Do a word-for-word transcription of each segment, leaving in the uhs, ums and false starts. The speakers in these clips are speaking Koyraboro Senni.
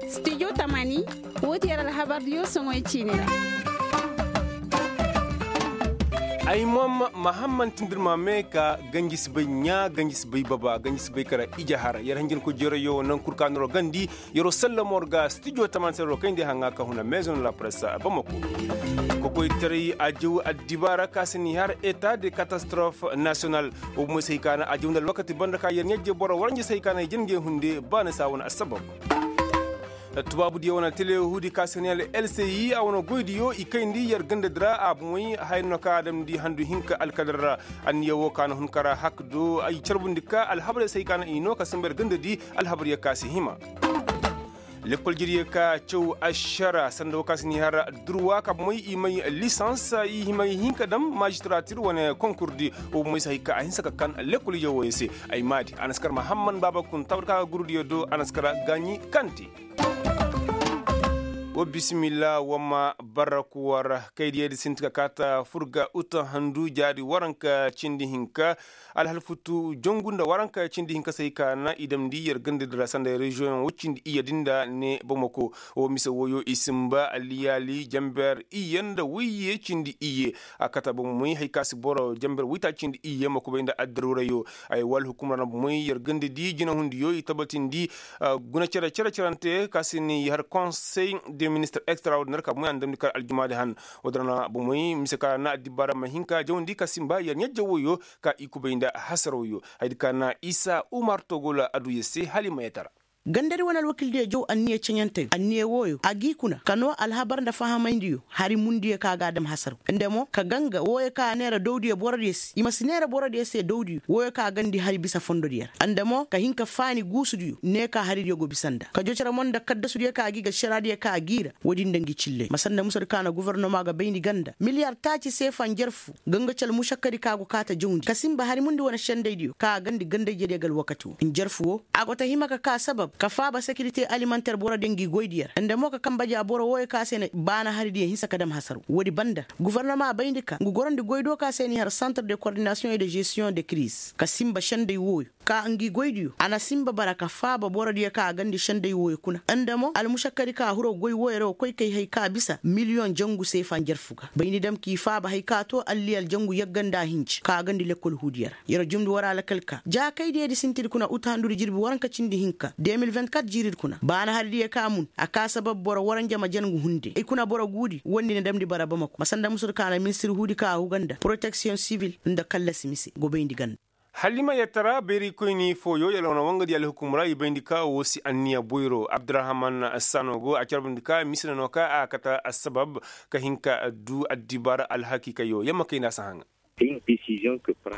Studio tamani, woo ti yer alhabardiyo soŋoy ciini ra. Ay mom mahamman tindirma me ka ganji si bay ɲaa, ganji si bay baba, ganji si bay kara ije har yer hanjin ko jeerayo naŋ kul ka noro gandi. Yeroo sallamo war ga stijo taman se yeroo kayndi haŋa ka huna maison la presse bamako. Kokoytaray ajaw addibaara ka si ni har eta de katastrof nasiyonal. Wo bumoy se hay ka na ajaw nda alwakati banda ka yer ɲajje boro waranja se hay ka na i jin ga hunde ba na se a wane assabab. Tubaabudiyo wane telehuudi ka se ni har lci a wane goydiyo i kayndi yer gandadi ra a bumoy haya no ka a damndi handu hinka alkadar ra. Anniya wo ka na hun kara hak do ay carbundi ka alhabarey se hay ka na i no ka simba yer gandadi. Alhabaryo ka si hima. Lekkol jiryo ka caw ašara sanda wo ka si ni har durwa ka bomey i may lisans i may hin ka dam majistaratir wane konkurdi. Wo bomey si hay ka a hinsa ka kan lekkol ije wooyo se. Ay maadi a na si kar mahamman baaba kun tawar ka ga gurudiyo do a na si kar gaaɲi kante. Wo bisimilla wamma barraku war kaydiyedi sinti ka kaata furga uta handu jaadi waranka cindi hinka. Alhal futu jongu nda waranka cindi hinka se hay ka na i damndi yer gandadi ra sanda reziyoŋ wo cindi iyye din da ne bamako. Wo mise wooyo i simba alliyaali jamber iyye nda woyye cindi iyye. A kata bomey hay ka si boro jamber woyta cindi iyye ma kubay nda addarurayo. Ay wala hukumra na bomey yer gandadi jinahundiyo i tabatindi. Guna cere cere cerante ka si ni har konsey de ministir extraordiner ka bomey a na damndi kar aljumaadi han. Wo-din ra na bomey mise ka na addibaara ma hin ka jawandi ka simba yer ɲajje wooyo. Ka i kubay nda hasarooyo. Hayadi ka na isa umar togola aduya se hala i ma yetara. Gandadi wane alwakildiyo jaw anniya ceɲanteyo anniya wooyo a g'i kuna ka noo alhabar nda fahamayndiyo hari mundiyo ka g'a dam hasaroo nda mo ka ganga wooyo ka a neera dawdiyo borodiyo se i ma si neera borodiyo se dawdiyo wooyo ka gandi hari bisa fondodiyo ra nda mo ka hin ka faani guusudiyo ne ka haridiyo go bisa nda ka jocara mo nda kaddasudiyo ka g'i ga šeraadiyo ka g'i ra. Woodin nda ngi cilley ma sanda musadi ka na gofornoma ga bayndi ganda miliyar taaci seefa njarfu ganga ci almušakkadi ka go kaata jawndi ka sinba hari mundi wane sendaydiyo ka a gandi gandayjediyo ga alwakati woo njarfu woo. A go ta hima ka kaa sabab ka faaba sekirite alimanter borodiyo ngi goydiyo ra nda mo ka kanba ja boro wooyo ka se na baana haridiyo hinsa ka dam hasaroo woodi banda. Gofornoma bayndi ka ngu gorandi goy do ka se n'i har santre de kordinasiyoŋ e de žestiyoŋ de kiriz ka sinba senday wooyo ka ngi goydiyo a na sinba bara ka faaba borodiyo ka a gandi senday wooyo kuna nda mo almušakkadi ka hiro goy wooyo ra wa koy kay hay ka bisa miliyoŋ jangu seefa njarfu ga bayndi dam k'i faaba hay ka too alliyal jangu yagga nda hinji ka a gandi lekkol huudiyo ra. Yer jumndi war alakal ka jaakaydiyo di sintidi kuna uta handudi jirbi waranka cindi hinka de mil vingt kat jiiridi kuna baana haridiyo ka mun a kaa sabab boro waranja ma jangu hunde ay kuna boro guudi wondi na damndi bara bamako ma sanda musudi ka na ministir huudi ka a huga nda poroteksiyoŋ sivil nda kallasi mise go bayndi ganda. Halima yetara bayrikoyni fooyo yala wane wangadi alhukum ra i bayndi ka woo si anniya boyro abdurahaman sano go a carbundi ka mise na no ka a kate assabab ka hin ka duu addibaara alhakiikayo yamma kayna si haŋa.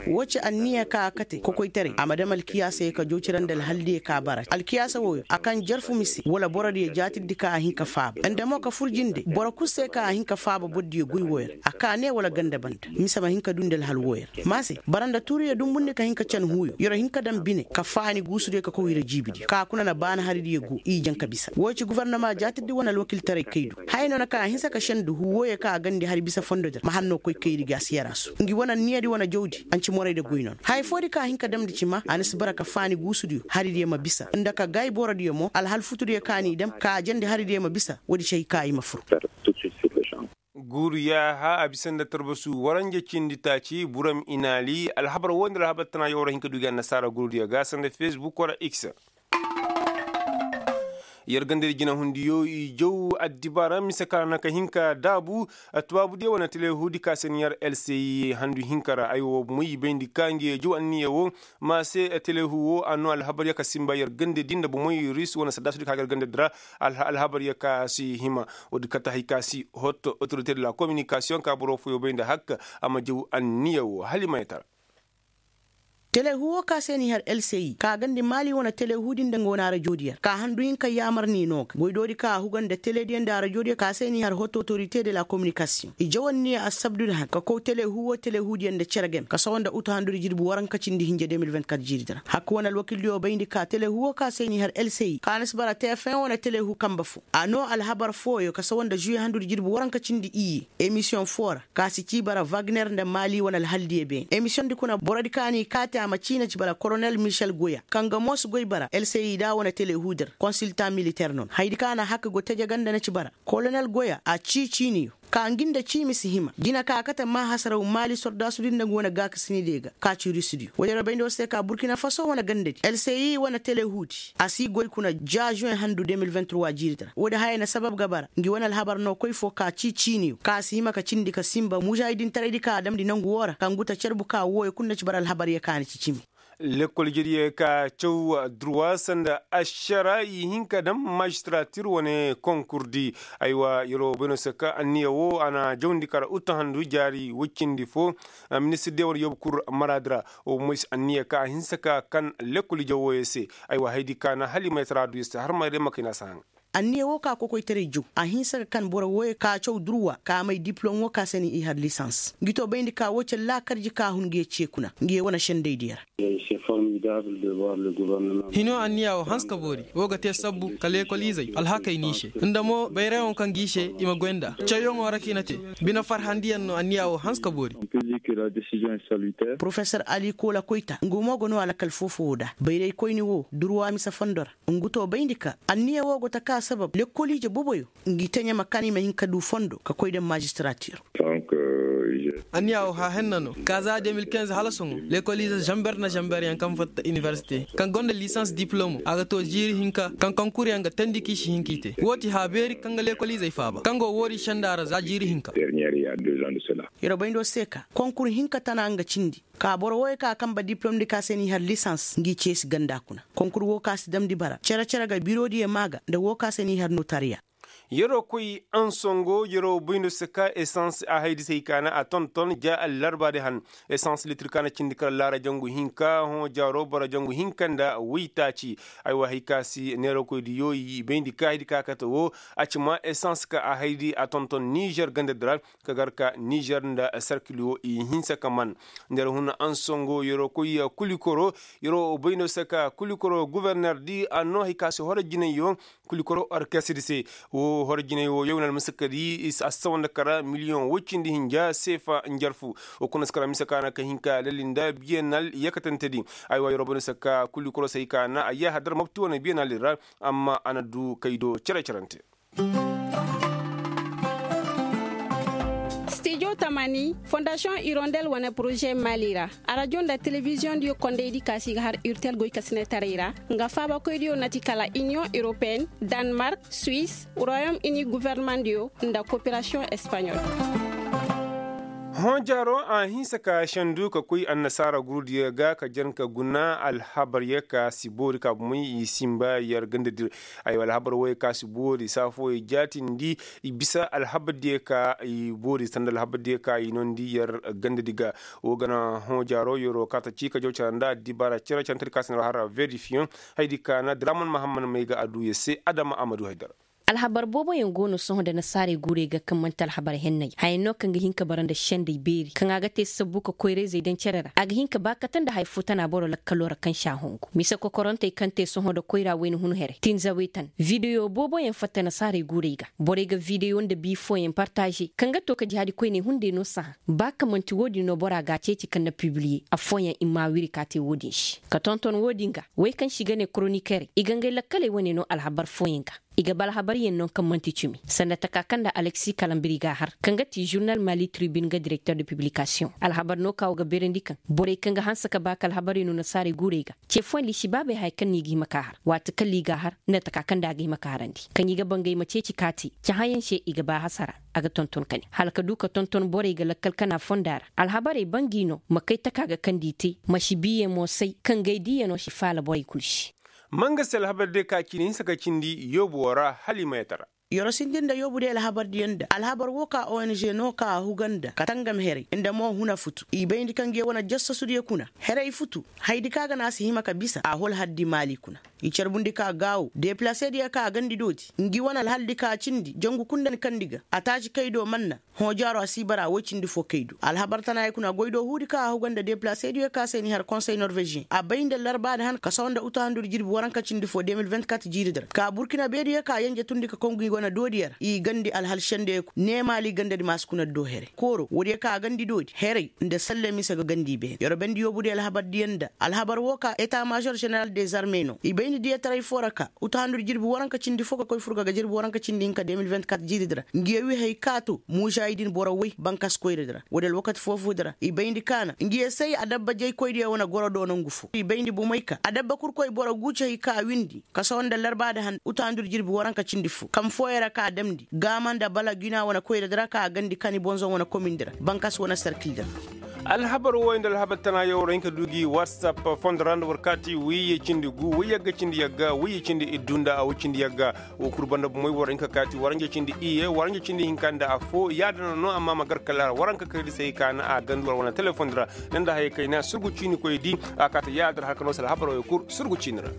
Woo ci anniya ka a kate kokoytaray a ma dam alkiyaasayoo ka jow cira nda alhaldiyo ka bara alkiyaasa wooyo a kaŋ jarfu mise wala borodiyo jaatirdi ka a hin ka faaba nda mo ka fur jinde boro kul se ka a hin ka faaba bordiyo goy wooyo ra a kaa ne wala ganda banda mise ma hin ka duu nda alhal wooyo ra ma se bara nda tuuriyo dumbundi ka hin ka can huuyo yer'o hin ka daŋ bine ka faani guusudiyo ka kow hira jiibidiyo ka kuna na baana haridiyo go i jaŋ ka bisa woo ci gofornoma jaatirdi wane alwakiltaray kaydu haya no na ka a hinsa ka sendu huu wooyo ka a gandi hari bisa fondodi ra ma hannoo koy kayri ga a si yar a su ngi wane anniyadi wane jawdi a na ci morayda goy noona haya foodi ka a hin ka damndi ci ma a na si bara ka faani guusudiyo haridiyo ma bisa nda ka gaay borodiyo mo alhal futudiyo ka n'i dam ka a jandi haridiyo ma bisa woodi ci hay ka i ma fur. Guuru yaaha a bisa nda tarbasu waranja cindi taaci buram inaali alhabar woo nda alhabar tana yawra hin ka du gi annasaara guurudiyo ga sanda fesbuk wala x. Yer gandadi jinahundiyo i jaw addibaara mise ka na ka hin ka daabu. Tubaabudiyo wane telehuudi ka se ni yer lci handu hinka ra ay woo moy i bayndi ka ngi jaw anniya woo ma se telehu woo a noo alhabaryo ka sinba yer gandadi nda bomey ris wane saddaasudi ka ga yer gandadi ra. Alhabaryo ka si hima woodi kate hay ka si hot otorite de la kominikasiyoŋ ka boro fooyo bay nda hak a ma jaw anniya woo hala i ma yetara. Telehu woo ka se n'i har lci ka gandi maali wane telehu di nda nga wane arajo diyo ra ka handu hinka yaamar n'i noo ga goy doodi ka a huga nda tele diyo nda arajo diyo ka se n'i har hot otorite de la kominikasiyoŋ i jaw anniya assabdu di han ka kow telehu woo telehu diyo nda cere game ka sawa nda utu handudi jirbi waranka cindi hinja de mil vingt kat jiiri di ra hak wane alwakil diyo bayndi ka telehu woo ka se n'i har lci ka na si bara tefeŋ wane telehu kanba foo a noo alhabar fooyo ka sawa nda žuwe handudi jirbi waranka cindi iyye emisiyoŋ foo ra ka si cii bara wagner nda maali wane alhal diyo beene emisiyoŋ di kuna borodi ka n'i kaati. a ma ciina ci bara koronel michel goya kaŋ ga mo si goy bara lci da wane telehuudir konsiltaŋ militeer no na haydi kaŋ a na hakka go teje ganda na ci bara koronel goya a cii ciiniyo ka ngi nda ciimi si hima jina ka a kate maahasaraw maali sordaasudi nda ngi wane gaakasinidiyo ga ka ci rusudiyo woodiyo ra bayndi war se ka burkina faso wane gandadi lci wane telehuudi a si goy kuna ja juwen handu de mil vingt trois jiiridi ra woodi hayey na sabab ga bara ngi wane alhabar no koy fo ka cii ciiniyo ka a si hima ka cindi ka sinba mužaahidintaraydi ka a damndi nangu woo ra ka ngu ta carbu ka wooyo kul na ci bara alhabaryo ka a na ci cimi. Lekkol jediyo ka caw durwa sanda ašara i hin ka dam mažistiratir wane konkurdi. Aywa yer wo bay no se ka anniya wo a na jawndi kara uttahandu jaari woy cindi fo. Ministir de wane yoobu kur maraadi ra wo moy se anniya ka a hinsa ka kan lekkol ije wooyo se. Aywa haydi ka na hala i ma yatara du yer se har ma yer day ma kay na a si haŋ. Anniya woo ka kokoytaray jaw a hinsa ka kan boro wooyo ka caw durwa ka may dipilom woo ka se ni i har lisans ngi to bayndi ka woo cere laakarji ka hun ngi ye ce kuna ngi ye wane sendaydiyo ra. Hino anniya woo hanse ka boori woo ga te sabbu ka leekol izey alhakey n'i se nda mo bayrayaŋo kaŋ g'i se i ma goy nd'a cawyaŋo ra kaŋ i na te. Bine farhandiyaŋ no anniya woo hanse ka boori. Porofesor ali koola koyta nga mo ga noo alkal foo-foo woo da bayraykoyni woo durwa mise fondo ra. Ngu to bayndi ka anniya woo go taka sabab lekkoliije boboyo ngi teɲe ma kaan i ma hin ka du fondo ka koy daŋ mazistratir. Anniya woo haahenna no ka za de mil kinze hala sohõ lekkoliize zamber nda zamberyaŋ kaŋ fatta inibersite kaŋ gonda lisans diplomo a ga to jiiri hinka kaŋ konkuryaŋ ga teendi kaŋ i si hin k'i te woo ti haabeeri kaŋ ga lekkoliizey faaba kaŋ go woodi senda ra za jiiri hinka. Yer bayndo se ka konkur hinka tana nga cindi ka boro wooyo ka a kanba diplomdi ka se n'i har lisans ngi ceesi ganda kuna konkur woo ka si damndi bara cere-cere ga birodiyo maa ga nda woo ka se n'i har notariya. Yeroo koy ansongo yeroo bayndo se ka esans a haydi se hay ka na a tonton ja allarbaadi han. Esans litir ka na cindi kala laara jangu hinka hõ jaaroo boro jangu hinka nda waytaaci. Aywa hay ka si neeroo koydiyo i bayndi ka haydi ka kate woo a ci ma esans ka a haydi a tonton nizer gandadi ra ka gar ka nizer nda sarkil woo i hinsa ka man. Nda yer hun ansongo yeroo koy kulikoro yeroo bayno se ka kulikoro guberner di a noo hay ka se horo jinayyo kulikoro orkestir se. Woo horo jinay woo yow na almasakadi a si sawa nda kara miliyoŋ woy cindi hinja seefa njarfu. Woo kuna si kara mise ka na ka hin ka lalli nda biyenal yakatantedi. Aywa yeroo bayno se ka kulikoro se hay ka na a yaahadar mopti wane biyenal ra. Amma a na du kaydo cere-cerante. Stijo tamani fondasiyoŋ irondel wane poroze mali ra arajo nda telebiziyoŋdiyo kondaydi ka si ga har urtel goykasinetaray ra nga faabakoydiyo na ti kala iniyoŋ europeyen, danmark, suwis, royom ini governemandiyo nda koperasiyoŋ espaɲol. Hõ jaaro a hinsa ka sendu ka koy annasaara gurudiyo ga ka jar ka guna alhabaryo ka si boori ka bomey i sinba yer gandadi ra. Aywa alhabar wooyo ka si boori saa fooyo jaatindi i bisa alhabardiyo ka i boori sanda alhabardiyo ka i noondi yer gandadi ga. Woo ga na hõ jaaro yeroo kaata cii ka jaw cara nda addibaara cere carantedi ka si na har verifiyoŋ. Haydi ka na draman mahamman may ga a duu yer se adama a ma duu haydara. Alhabar booboyaŋ go no sohõ nda nasaarey guurey ga kaŋ man'ti alhabar henney haya no kaŋ ga hin ka bara nda sendey beeri kaŋ a ga te sabbu ka koyrayzey daŋ cere ra a ga hin ka ba kate nda haya fo tana boro lakkaloo ra kaŋ si a hongu mise kokorantey kaŋ te sohõ nda koyra wayna hun herey tinzawey tan videwo booboyaŋ fatta nasaarey guurey ga borey ga videwo nda bii fooyaŋ partaze kaŋ ga to ka jihaadi koyney hunday no sahã ba ka man'ti wo-din no bora ga a ceeci kaŋ na pibiliye affooyaŋ i m'a wiri ka te wo-din se ka tonton wo-din ga wey kaŋ se i ga ne koronikerey i ga ngey lakkaley wane no alhabar fooyaŋ ga. I ga ba alhabaryaŋ no kaŋ man'ti cimi sanda taka kaŋ nda aleksi kalambiri ga a har kaŋ ga ti žurnal mali tribin ga direkter de piblikasiyoŋ alhabar no ka wo ga beerandi kaŋ borey kaŋ ga hanse ka ba ka alhabarey no nasaarey guurey ga ce fooyaŋ liisibaabey haya kaŋ no i ga hima ka a har waati kaŋ ra i ga a har nda taka kaŋ nda a ga hima ka harandi kaŋ i ga ba ngey ma ceeci ka te cahãyaŋ se i ga ba hasara. A ga tonton kani hala ka du ka tonton borey ga lakkal kana fonda ra alhabarey bangi no ma kay taka ga kaŋ nda i te ma si biiyaŋ mo say kaŋ ngey diiyaŋo si faala borey kul se. Manga se alhabar diya ka cindi hinsa ka cindi yoobu woo ra hala i ma yatara. Yoro sindi nda yoobu diya alhabar diya nda alhabar woo ka ong no ka a huga nda ka tangam heray nda mo huna futu i bayndi kaŋ ga ye wane jassasudiya kuna heray futu. Haydi ka ga na a si hima ka bisa a hol haddi maali kuna i carbundi ka gaawo deplasediya ka a gandi dooti ngi wane alhaldi ka cindi jangu kul nda ni kandi ga a taaci kay do manna. Hõ jaaro a si bara woy cindi fo kay do alhabar tanaayey kuna goy do huudi ka a huga nda deplaseediyo ka se ni har konsey norvežiyeŋ a bay nda larbaadi han ka sawa nda utuhandur jirbi waranka cindi fo de mil vingt kat jiiridi ra ka burkina beediyo ka yenje tundi ka kongu. Wane doodiyo ra i gandi alhal sendey kul neemaali gandadi ma si kuna do here kooro woodiyo ka a gandi doodi herey nda salle mise ga gandi i beene yer wa bayndi yoobudiyo alhabardiyo nda alhabar woo ka eta maazor ženeral dezarme no i bayndi diyataray foo ra ka utu handu nda jirbi waranka cindi foo ka koy fur ga ga jirbi waranka cindi hinka de mil vingt-kat jiiridi ra ngi ya wi hay ka to muuzaahidin boro woy bankas koyradi ra woodi alwakati foo-foodi ra i bayndi ka na ngi ya say adabba jaykoydiyo wane goro do nongu foo i bayndi bomey ka adabba kurkoy boro guuci hay ka a windi kasawa nda larbaadi han utu handu nda jirbi waranka cindi foo kam fooyo ra ka a damndi gaama nda bala gina wane koyradi ra ka a gandi kani bonzon wane komindi ra bankas wane serkildi ra alhabar wooyo nda alhabar tanaayoo war hin ka du gi whatsapp fondo ra nda war kaati wayye cindi gu wayyagga cindi yagga wayye cindi iddu nda a way cindi yagga woo kul banda bomey war hin ka kaati waranja cindi iyye waranja cindi hinka nda affoo yaadin ra no amma ma gar kala waranka kaydi se hay ka na a gandi war wane telefondi ra ne nda hayey kayna surgu ciinikoydi a kaata yaadin ra har ka noo se alhabar wooyo kul surgu ciini ra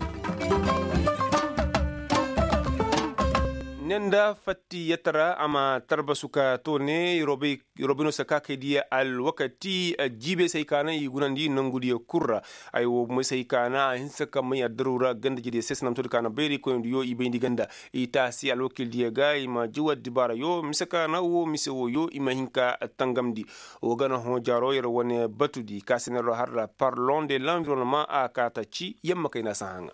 ne nda fatti yatta ra a ma tarbasu ka to ne yer wa bay no se ka kay diya alwakati jiibey se hay ka na i gunandi nongudiyo kul ra ay woo bomey se hay ka na a hinsa ka may addaru ra ganda jediyo se sanamtodi ka na bayraykoyndiyo i bayndi ganda i taasi alwakildiyo ga i ma jaw addibaarayo mise ka na woo mise wooyo i ma hin ka tangamndi woo gana hõ jaaro yer wane batudi ka se na yer har ra parlon de l'environnement a kaa ta ci yamma kayna si haŋa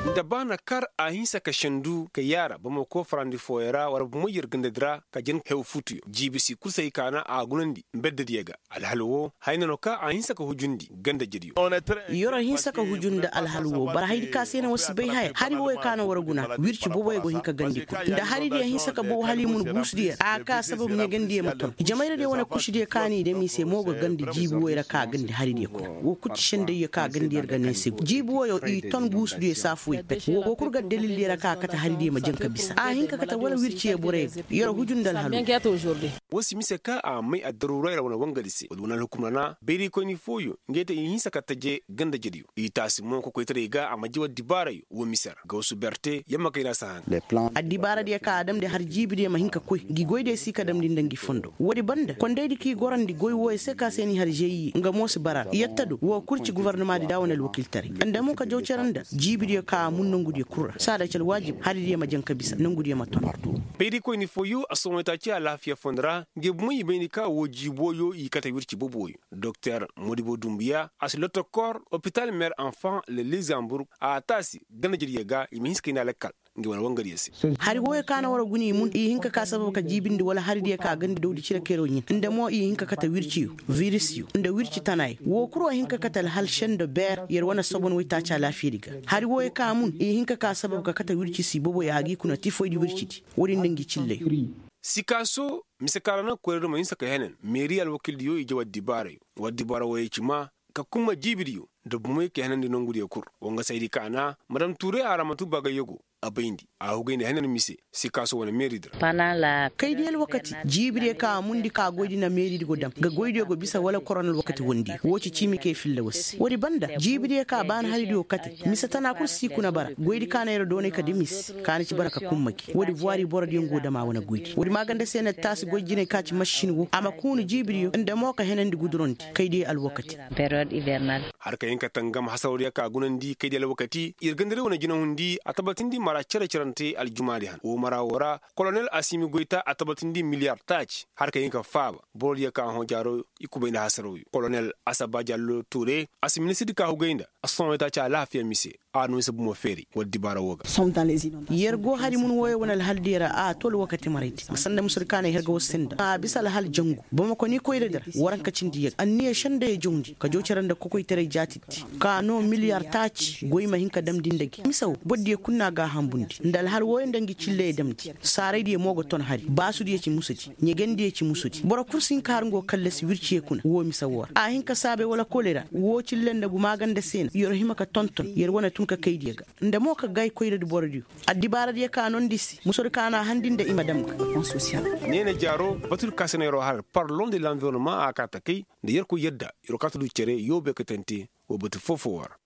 nda ba na kar a hinsa ka sendu ka yaara boro ma koy farandi fooyo ra war boro ma yer gandadi ra ka jen hew futuyo jiibi si kul se hay ka na a gunandi mbeddadiyo ga alhal woo hayna no ka a hinsa ka hujundi ganda jediyo yer hinsa ka hujundi alhal woo bara haydi ka se na war si bay haya hari wooyo ka na war guna wirci boboyo go hin ka gandi kul nda haridiyo hinsa ka bow hala i mun guusudiyo ra a ka sabab ɲegandiyo ma ton jamayradiyo wane kusudiyo ka n'i dam i se mo ga gandi jiibi wooyo ra ka gandi haridiyo kuna woo kul ci sendayyo ka gandi yer ga ne se jiibi wooyo i ton guusudiyo saafuwey pet woo go kul ga dalildiyo ra ka kate haridiyo ma jaŋ ka bisa a hin ka kate wala wirciyo boroyo ga yer huju nda alhal woo woo si mise ka a may addaru ra yer wane wangadi se wala wane alhukum ra na bayraykoyni fooyo ngey te i hinsa ka taje ganda jediyo i taasi mo kokoytaray ga a ma jaw addibaarayo woo mise ra gawsu berte yamma kayna si haŋ addibaaradiyo ka a damndi har jiibidiyo ma hin ka koy ngi goydiyo si ka damndi nda ngi fondo woodi banda kondaydi k'i gorandi goy wooyo se ka se n'i har žeyi nga mo si bara ra yatta do woo kul ci gofornamaadi nda a wane alwakiltaray nda mo ka jaw cere nda jiibidiyo ka a mun nongudiyo kul ra saada ci alwaajib haridiyo ma jaŋ ka bisa nongudiyo ma ton bayraykoyni fooyo assohõ itaaci alaafiya fondo ra ngi bomey i bayndi ka woo jiibi wooyo i kate wirci boboyo doktor modibo dumbuya a si lotokor opital mer enfant le luxembourg a taasi ganda jediyo ga i ma hinsa kayna lakkal ngi wane wangariyo se hari wooyo ka na war guna i mun i hin ka ka sabab ka jiibindi wala haridiyo ka gandi dawdi cire kayro ɲin nda mo i hin ka kate wirciyo virisiyo nda wirci tanayo woo kul woo hin ka kate alhal sendo beer yer wane sobon waytaaci alaafiyadi ga hari wooyo ka mun i hin ka ka sabab ka kate wirci si boboyo a g'i kuna tifoydi wircidi woodin nda ngi cilley sikaaso mise ka ra na koyradi ma hinsa ka henan meeri alwakildiyo i jaw addibaarayo wa addibaara wooyo ci ma ka kumma jiibidiyo nda bumey ka henandi nongudiyo kul wangasaydi ka na madam tuure a ra ma tubba gayyago a bayndi a hugayndi henan mise sikaaso wane meeridi ra kaydiyo alwakati jiibidiyo ka a mundi ka goydi na meeridi go dam ga goydiyo go bisa wala koron alwakati wondi woo ci ciimi kay filla war se woodi banda jiibidiyo ka baana haridiyo kate mise tana kul si kuna bara goydi ka na yer doonay ka dam i se ka na ci bara ka kumma gi woodi buwaari borodiyo ngu dam a wane goydi woodi maaganda se na taasi goy jinay ka ci masin woo a ma kuunu jiibidiyo nda mo ka henandi gudurondi kaydiyo alwakati har ka hin ka tangam hasaroodiyo ka gunandi kaydiyo alwakati yer gandari wane jinahundi a tabatindi mara cere-cerante aljumaadi han woo mara woo ra kolonel asimi goyta a tabatindi miliyar taaci har ka hin ka faaba borodiyo ka hõ jaaro i kubay nda hasarooyo kolonel asaba jallo tuure a si ministirdi ka hugay nda a si sohõ itaaci alaafiya mise a na mise bumo feeri war dibaara woo ga yer go hari mun wooyo wane alhaldiyo ra a to alwakati maraydi ma sanda musudi ka na ay har ga war se nda a bisa alhal jangu boro ma koy ni koyradi ra waranka cindi yagga anniya sendayoo jawndi ka jaw cere nda kokoytaray jaatidi ka noo miliyar taaci goy ma hin ka damndi nda gi mise woo bordiyo kul na a gaahambundi nda alhal wooyo nda ngi cilleyoo damndi saaraydiyo mo ga ton hari baasudiyo ci musudi ɲegendiyo ci musudi boro kul si hin ka har ngo kallasi wirciyoo kuna woo mise woo ra a hin ka saabay wala kolera woo cille nda gumaaganda se na yer hima ka tonton yer wane tun ka kaydiyo ga nda mo ka gaay koyradi borodiyo addibaaradiyo ka noondi se musudi ka na a handi nda i ma dam ga ne na jaaro batudi ka se na yer wo har parlon de l'environnement a kaa ta kay nda yerkoy yadda yer wo kaa ta du cere yoobe ka tante woo batu foo-foo woo ra